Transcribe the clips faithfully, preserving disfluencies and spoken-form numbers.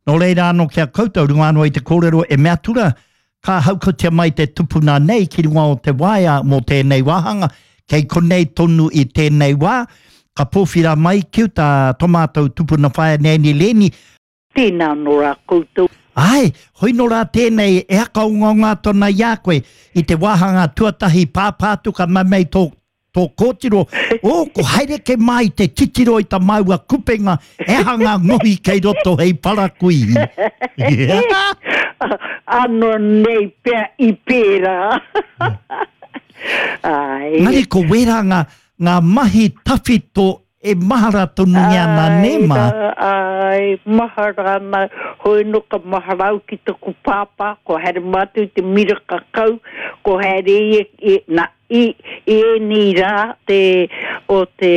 Nō reira anō ki a koutou, runga anō i te kōrero e mea atu rā, ka haukotia mai te tupuna nei ki runga o te waea mō tēnei wāhanga, kei konei tonu i tēnei wā, ka pōwhira mai ki uta tō mātou tupuna whaea Nanny Lenny. Tēnā anō rā koutou. Āe, hoi nō rā tēnei e hakaongaonga atu ana i a koe i te wāhanga tuatahi pāpā atu ka mau mai tō tō kōtiro, oh, ko haere ke mā i te titiro i ta māua kupenga, he aha ngā ngohi kei roto hei parakuihi. Ano nei pea i pērā. Ai. Engari ko wērā ngā, ngā mahi tawhito e mahara tonungia ana nē mā. Ai, mahara ana, hoi no ka mahara au ki taku pāpā, ko haere mātou i te miraka kau, ko haere ia i, na, i, i ēnei rā te, o te,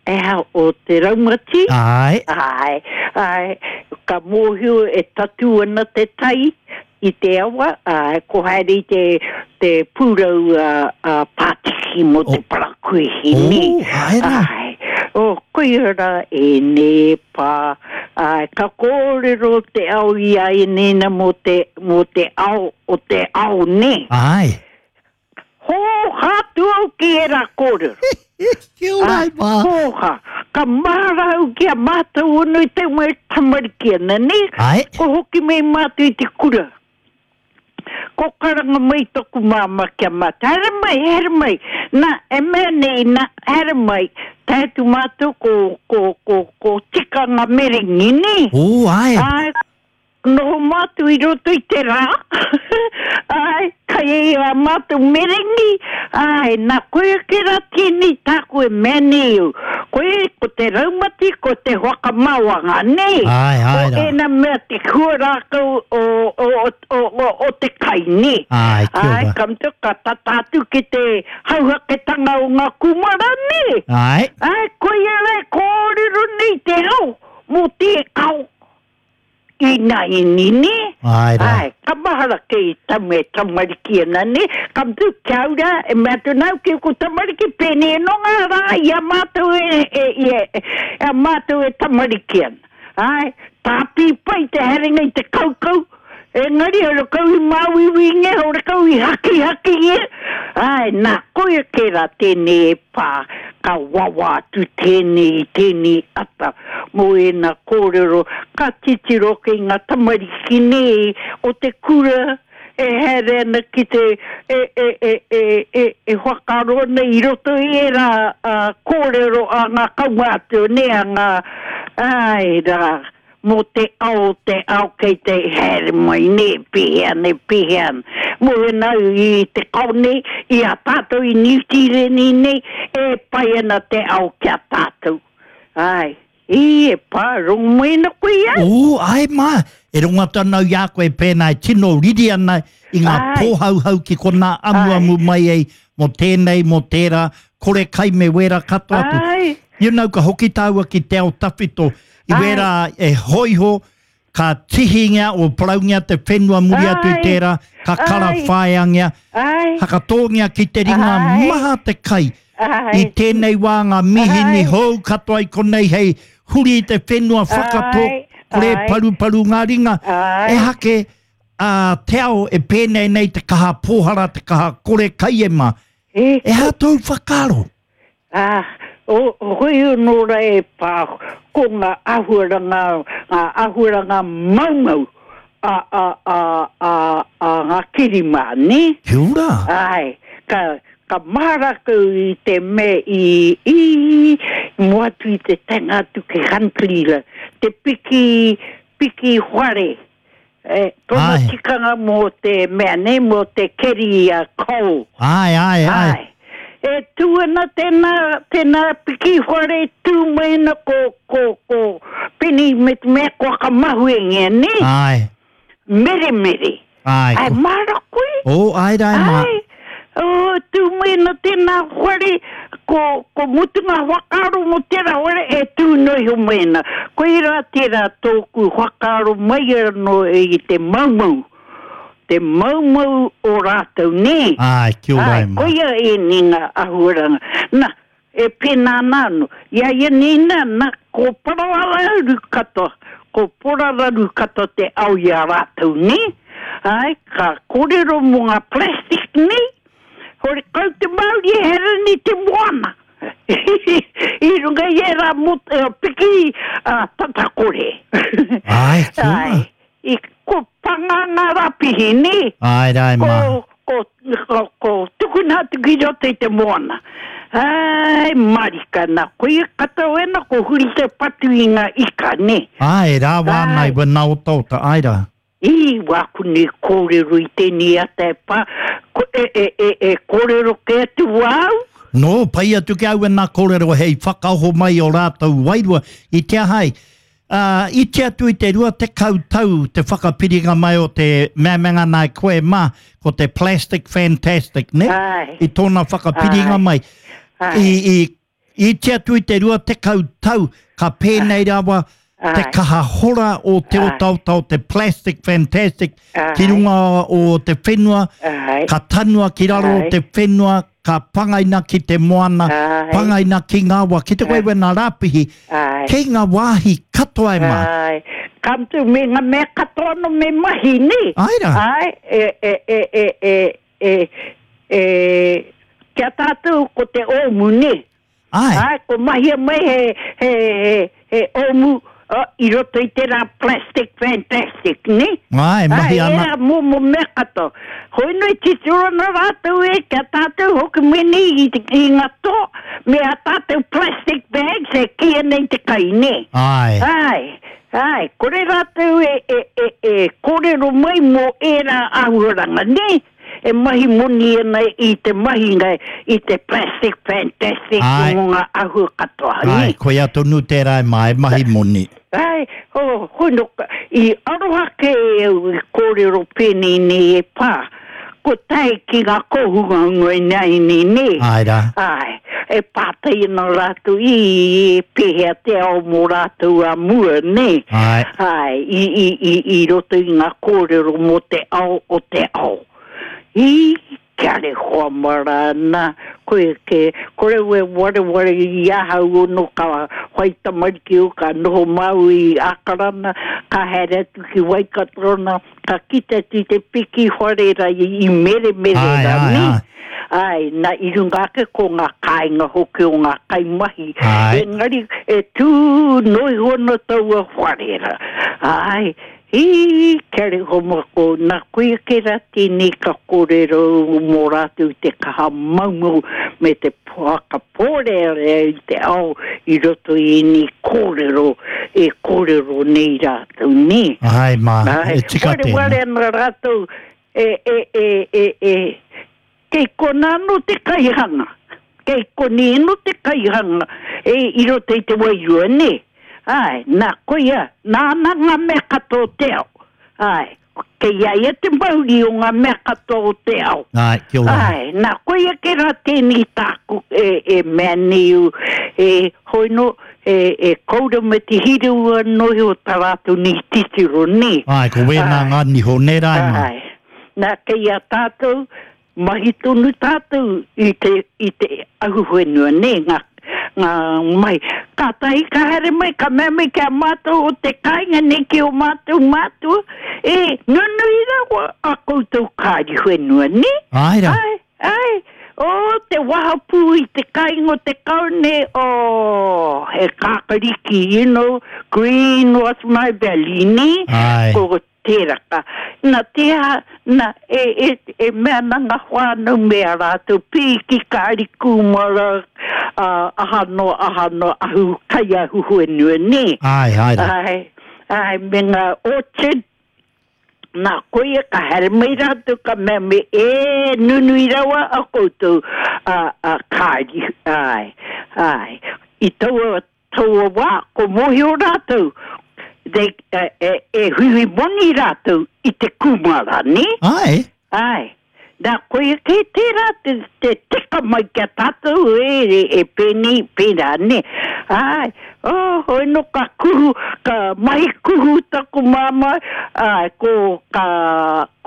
eha, o te raumati. Ai. Ai, ai, ka mōhio e tatū ana te tai i te awa, ā, ko haere i te, te pūrau a, a Pātiki mō te parakuihi, nē. Oh, āe rā. Āe. Oh, koia rā ēnei e pā. Āe, ka kōrero te ao i a ēnei na mō te, mō te ao o te ao, nē. Āe. Hōhā atu au ki ērā kōrero. Kia ora e mā. Hōhā. Ka mahara au ki a mātou ono i te wā e tamariki ana, nē? Āe. Ko hoki mai mātou i te kura. Ko karanga mai taku māmā ki a mātou, haere mai, haere mai. Nā, e mea nei, nā, haere mai. Tae atu mātou ko, ko, ko, ko tikanga merengi, nē? Ō, āe. Āe. Noho mātou i roto i te rā, āe, kai ai ā mātou merengi, āe, nā, koia kē rā tēnei tāku e mea nei au. Koia, ko te raumati, ko te whakamaoanga, nē? Āe, āe Ko rā. ēnā mea te hua rākau o, o, o, o, o te kai, nē? Āe, kia Āe, ora. ka mutu, ka tata atu ki te hauhaketanga o ngā kūmara, nē? Āe. Āe, koia rā e kōrero nei te ao mō te ao. Ināianei, nē? Āe rā. Āe, ka mahara kei tamu e tamariki ana, nē? Ka mutu, kia ora, e mea atu nāu ki ōku tamariki, pēnei anō ngā rā i a mātou e, e, i e, e a mātou e tamariki ana. Āe, tāpī pai te haerenga i te kaukau, engari horekau i māuiuingia, horekau i hakihakingia. Āe, nā, koia kē rā tēnei e pā, ka wawa atu tēnei i tēnei ata mō ēnā kōrero, ka titiro ki ngā tamariki nei o te kura e haere ana ki te, e, e, e, e, e, e whakaaro ana i roto i ērā kōrero a ngā kaumātua, nē, a ngā, āe rā, mō te ao, te ao kei te haere mai, nē, pēhea ana, pēhea ana. Mō ēnā au i te kao nei, i a tātou i Niu Tīreni nei, e pai ana te ao ki a tātou. Āe. Ī, e pā, rongo mai ana koe i a au. Ū, āe mā, e rongo atu ana au i a koe pēnā e tino riri ana i ngā pōhauhau ki konā amuamu mai ai mō tēnei, mō tērā, kore kai me wērā katoa atu. Āe. You know, ka hoki tāua ki te ao tawhito, i wērā e hōiho, ka tihingia o paraungia te whenua muri atu i tērā, ka karawhaiangia, hakatōngia ki te ringa maha te kai. I tēnei wā ngā mīhini hou katoa i konei hei huri i te whenua whakatō, kore paruparu ngā ringa, ehake a te ao e pēnei nei te kaha pōhara, te kaha kore kai e mā. Ehara tōu whakaaro? Ā, o, hoi anō rā e pā, ko ngā āhuaranga, ngā āhuaranga maumau a, a, a, a, a ngā kirimā, nē? Kia ora! Āe, ka, ka mahara kau i te mea i, i, mua atu i te taenga atu ki Huntly la, te piki, piki whare. E, tōna Āe. tikanga mō te mea nei, mō te keri a coal. Āe, āe, āe. Āe. E tū ana tēnā, tēnā piki whare, tū mai ana ko, ko, ko Penny me te mea kua whakamahuengia, nē? Āe. Meremere. Āe. Āe, māra koe? Ō, āe rā e mā. Āe. Ō, tū mai ana tēnā whare, ko, ko mutunga whakaaro mō tērā whare e tū noa iho mai ana. Koirā tērā tōku whakaaro mai anō i te maumau, te maumau o rātou, nē? Āe, kia ora Āe, e mā. koia ēnei ngā āhuaranga. Nā, e pēnā ana anō. I a ia nei nā, nā, ko Parawarauru katoa, Ko porararu katoa te ao i a rātou, nē? Ai, ka kōrero mō ngā plastic nei, hore kau te Māori e hereni te moana. I runga i ērā mot, uh, piki uh, tatakore. Ai, kia ora. Ai, i ko panga ngā rapihi, nē? Ai, rai, Ko, mā. ko, ko, ko tukuna atu ki roto i te moana. Ai, marika nā, koia katoa ena, ko huri te patu i ngā ika, nē? Ai, rā wānai, Ai. wena otaota, ai rā. I wāku nei kōrero i tēnei ata e pā, ko, e, e, e, e kōrero ke atu wau? No, pai atu ki au e nā kōrero hei whakaoho mai o rātou wairua i te ahai. Uh, i te atu i te rua te tau te whakapiringa mai o te meamenga nā koe mā, ko te Plastic Fantastic, ne? Ai. I tōna whakapiringa Ai. mai. Ai. I, i, i te atu i te rua te tau, ka pēnei rawa te Ai. kaha hora o te Ai. otaota o te Plastic Fantastic ki Ai. runga o te whenua, Ai. ka tanua ki raro o Ai. te whenua, ka pangaina ki te moana, Ai. pangaina ki ngā wa, ki te koe wena rāpihi, Ai. kei ngā wāhi katoa e mā. Ai. Ka mutu me ngā mea katoa no me mahi, nē? Ai rā. Ai, e, e, e, e, e, e, e, kia tātou ko te ōmu, nē? Ai, Ai, ko mahia mai he, he, he, he ōmu uh, i roto i tērā Plastic Fantastic, nē? ai, mahi Ai, ana. era momo mea katoa. Hoi noi titiro ana rātou e, kia tātou hoki mene i, te, i ngā toa, me a tātou plastic bags e kia nei te kai, nē? Ai, Ai, ai, kore rātou e, e, e, e kōrero mai mō ērā āhuaranga, nē? E mahi moni ana i te mahinga i te Plastic Fantastic Ai. mō ngā āhua katoa, nē? ai, koia tonu tērā e mā, e mahi moni. Ai, oh, hoi no, i aroha ke au i kōrero pēnei nei e pā, ko tae ki ngā kōhunga ngoi nei nei nei. Ai rā. Ai, e pātai ana rātou i, i pēhea te ao mō rātou a mua, nē. Ai. Ai, i, i, i, i roto i ngā kōrero mō te ao o te ao. I, kia re hoa marana, koe ke, kore we ware ware i ahau ono ka whai tamariki o ka noho mau i Akarana, ka haere atu ki Waikatorona, ka kite atu i te piki whare ra i, i mere mere Ai, ra, ai, nē? ai. Ai, na i runga ake ko ngā kāinga hoki o ngā kaimahi. Ai. Engari, e tū noi hono taua whare ra. Ai, i, kia re homo ko, nā koia ke rā tēnei ka kōrero mō rātou te kaha maumau me te poaka pōrearea i te ao i roto i ēnei kōrero e kōrero nei rātou, nē? Ai mā, Ai, e tika ware tēnā. ware ana rātou e, e, e, e, e, kei kona anō te kaihanga. Kei koni anō te kaihanga e i roto i te wairua, nē? Ai, nā koia, nāna ngā mea katoa o te ao. Ai, kei a ia te mauri o ngā mea katoa o te ao. Ai, kia ora. Ai, nā koia ke rā tēnei tāku e, e mea nei u, e hoi no, e, e koura me te hirua noi o tā rātou nei titiro, nē? Ai, ko wēnā Ai. ngā niho, nē rā e mā. Ai, nā kei a tātou, mahi tonu tātou i te, i te ahuwhenua, nē, ngā, ngā mai. Ka tahi ka haere mai, ka mea mai kia mātou o te kāinga nei ki o mātou mātua, e nunui rawa a koutou kāri whenua, nē? Ai rā. Ai, ai, o te wahapū i te kāinga o te kaune, o he kākariki, you know, green was my belly, nē? Ai. Ko tērā ka. Nā te aha, nā, e, e, e mea nā ngā whānau me a rātou, pīki kāri kūmara, uh, aha no, aha no, ahu kai ahu huenua, nē? Ai, ai rā. Ai, ai, me ngā orchard, nā koia ka haere mai rātou ka mea me e nunui rawa a koutou a, a kāri, ai, ai. I taua, taua wā, ko mōhio rātou, they, e, e, e huihui moni rātou i te kūmara, nē? Ai, Ai, nā koia kei tērā te, te teka mai kia tātou e, e, e pēnei, pērā, nē. Ai, oh, hoi no ka kuhu, ka mahi kuhu taku māmā, ai, ko, ka,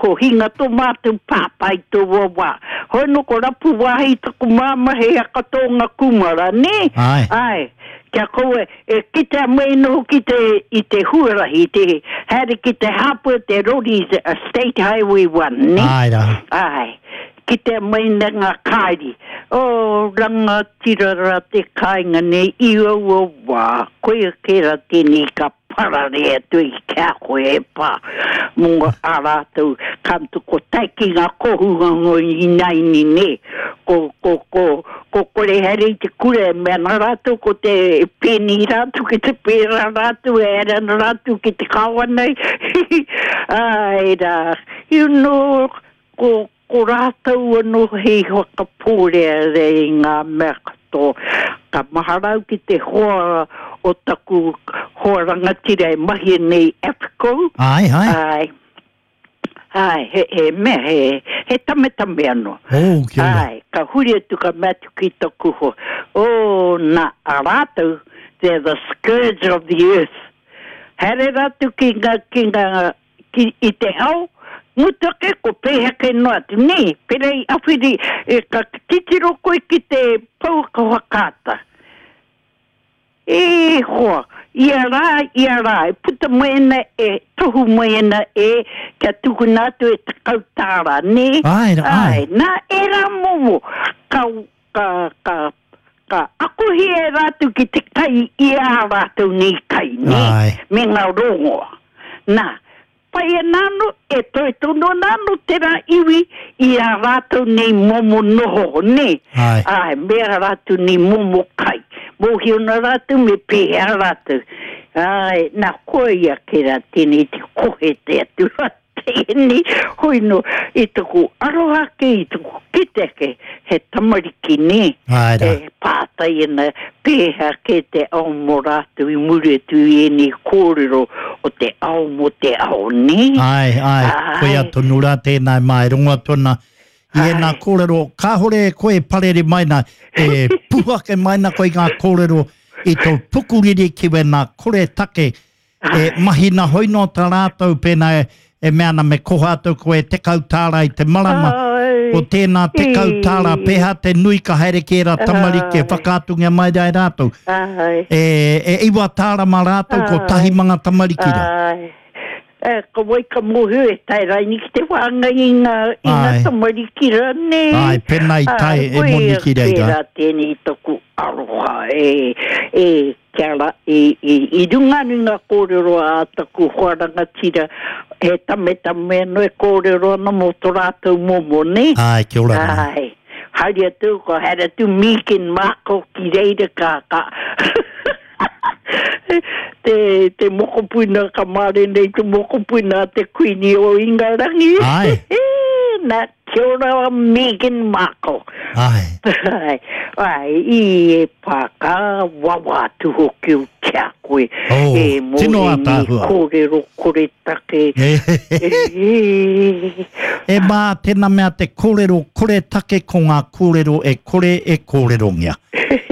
ko hinga tō mātou pāpā i tō wā. Hoi no ko rapu wāhi taku māmā he aka tōnga kūmara, nē? Ai. Ai, Kia koe, e kitea mai noho ki te, i te huarahi, te haere ki te hāpua te rori, a State Highway one, ne? Ai rā. Ai, kitea mai na ngā kāri. O, rangatira rā te kāinga nei, i aua wā, koia kē rā tēnei ka parare atu i kia koe e pā, mō a rātou, ka mutu ko tae ki ngā kohunga ngoi inaini ne, ko, ko, ko, ko kore haere i te kura e mea ana rātou, ko te pēni rātou, ki te pērā rātou, e haere ana rātou ki te kawa nei, ai rā, you know, ko, ko rātou anō hei whakapōrearea i ngā mea katoa. Ka mahara au ki te hoa o taku hoa rangatira e mahi nei AFCO. Ai, ai. Ai. Ai, he, he mea, he, he tametame anō. Oh, kia ora. Ai, ka huri atu ka mea atu ki taku hoa. Oh, nā, a rātou, they're the scourge of the earth. Haere rātou ki ngā, ki ngā, ki, i te ao, ngutu ake ko pēhea kei noa atu. Nē, pērā i awhiri, e, ka titiro koe ki te pouaka whakaata. E hoa, ia rā, ia rā, e puta mai ana, e tohu mai ana, e kia tukuna atu e tekau tāra, nē? Ai, ai. Ai, nā, ērā momo, ka, ka, ka, ka akohia e rātou ki te kai i ā rātou nei kai, nē? Ai. Me ngā rongoa. Nā, pai ana anō, e toe tonu ana anō tērā iwi i ā rātou nei momo noho, nē? Ai. Ai, me ā rātou nei momo kai. Mōhio ana rātou me pēhea rātou. Ai, nā, koia kē rā tēnei te kohe te atu rā tēnei. Hoi nō, i taku aroha ake, i taku kite ake, he tamariki nē. Ai rā. E pātai ana pēhea kē te ao mō rātou i muri atu i ēnei kōrero o te ao mō te ao, nē? Ai, ai, Ai. koia tonu rā tēnā e mai rongo atu ana i ēnā Ai. kōrero, kāhore e koe e parere mai nā, e puhu ake mai nā koe i ngā kōrero i tō pukuriri ki wēnā kore take, e mahi nā hoi nō tā rātou pēnā e, e mea ana me koha atu koe tekau tāra i te marama, Ai. ko tēnā tekau tāra, pēhā te nui ka haere ki ērā tamariki e Ai. whakaatungia mai rā e rātou. Ai. E, e iwa tāra mā rātou, ko Ai. tahi manga tamariki rā. Ai. E, ko wai ka mōhio e tae raini ki te whāngai i ngā, i ngā Ai. tamariki rā, nē? Ai, pēnā i tae Ai, e moni ki reira. Koia tērā tēnei taku aroha e, e, kia ra, i, i, i runga anu i ngā kōrero a taku hoa rangatira, he tametame anō e kōrero ana mō tō rātou momo, nē? Ai, kia ora rā. Ai, haere atu, ko haere atu Megan Markle ki reira ka, ka. te, te mokopuna, ka mare nei te mokopuna a te Kuini o Ingarangi. Ai. Nā, kia ora Megan Markle. Ai. Ai, ai, i e pā, ka wawa atu hoki o kia koe. Oh, e mō tino ēnei ātaahua. kōrero kore take. E, E mā, tēnā mea te kōrero kore take ko ngā kōrero e kore e kōrerongia.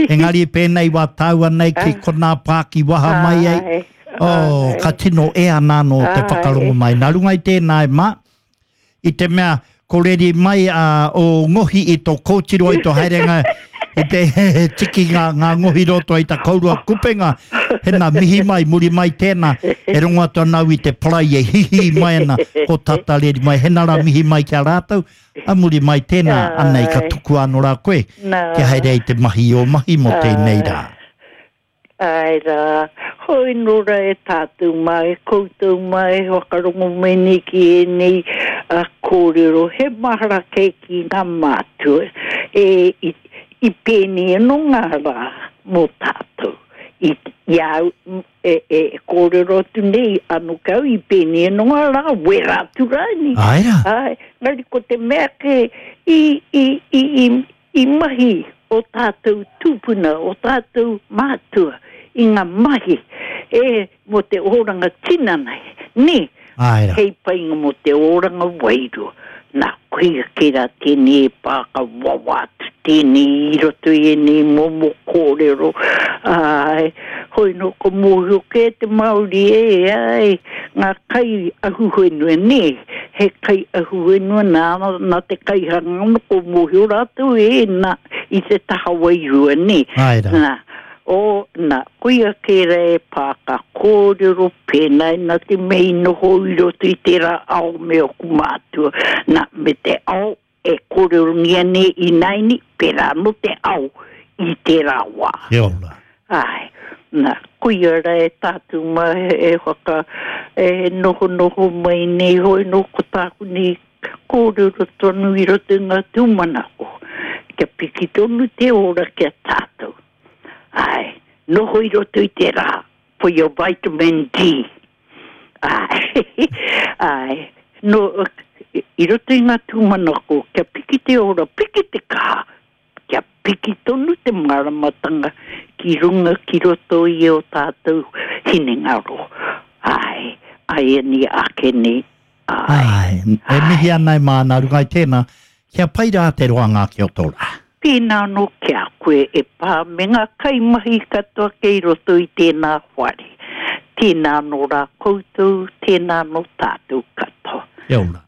Engari pēnei wā tāua nei ki konā pāki waha mai ai. Ai, Oh, ai. ka tino e ana anō te Ai. whakarongo mai. Nā runga i tēnā e mā, i te mea ko reri mai a, o ngohi i tō kōtiro i tō haerenga i te tiki ngā, ngā ngohi roto i ta kourua kupenga. Hena mihi mai, muri mai tēnā, e rongo atu ana au i te parai e hihi mai ana, ko tata reri mai. Hena rā mihi mai ki a rātou, a muri mai tēnā, anei ka Ai. tuku anō rā koe, Nā. kia haere ai te mahi o mahi mō tēnei rā. Ai rā, hoi nō rā e tātou mai, koutou mai, whakarongo mai nei ki ēnei uh, kōrero, he mahara kei ki ngā mātua, e, i, i pēnei anō ngā rā mō tātou. I, i au, e, e kōrero atu nei, anō kau, i pēnei anō ngā rā, wera atu rāni. Ai rā. Ai, ngari ko te mea ke i, i, i, i, i mahi o tātou tūpuna, o tātou mātua, i ngā mahi e mō te oranga tinana, nē, Ai rā. hei painga mō te oranga wairua. Nā, koia kē rā tēnei e pā ka wawa atu tēnei i roto i ēnei momo kōrero. Ai, hoi nō ko mōhio kē te Māori e, ai, ngā kai ahuwhenua, nē, he kai ahuwhenua nā, nā te kaihanga, ko mōhio rātou e, nā, i te taha wairua, nē. Ai rā. Nā, O, nā, koia kērā e pā ka kōrero pēnā nā te mea i noho i roto i tērā ao me oku mātua. Nā, me te ao e kōrerongia nei ināianei, pērā anō te ao i tērā wā. Kia ora. Āe, nā, koia rā e tātou mā e whaka, e nohonoho mai nei hoi nō ko tāku nei kōrero tonu i roto i ngā tūmanako, kia piki tonu te ora ki a tātou. Āe, noho i roto i te rā, for your vitamin D. Āe, āe, no, i roto i ngā tūmanako, kia piki te ora, piki te kaha, kia piki tonu te māramatanga ki runga ki roto i o tātou hinengaro. Āe, āianei ake nei, āe. Āe, e mihi ana e mā nā runga i tēnā, kia pai rā te roanga ake o tō rā. Tēnā anō ki a koe e pā me ngā kaimahi katoa kei roto i tēnā whare. Tēnā anō rā koutou, tēnā anō tātou katoa. Kia ora.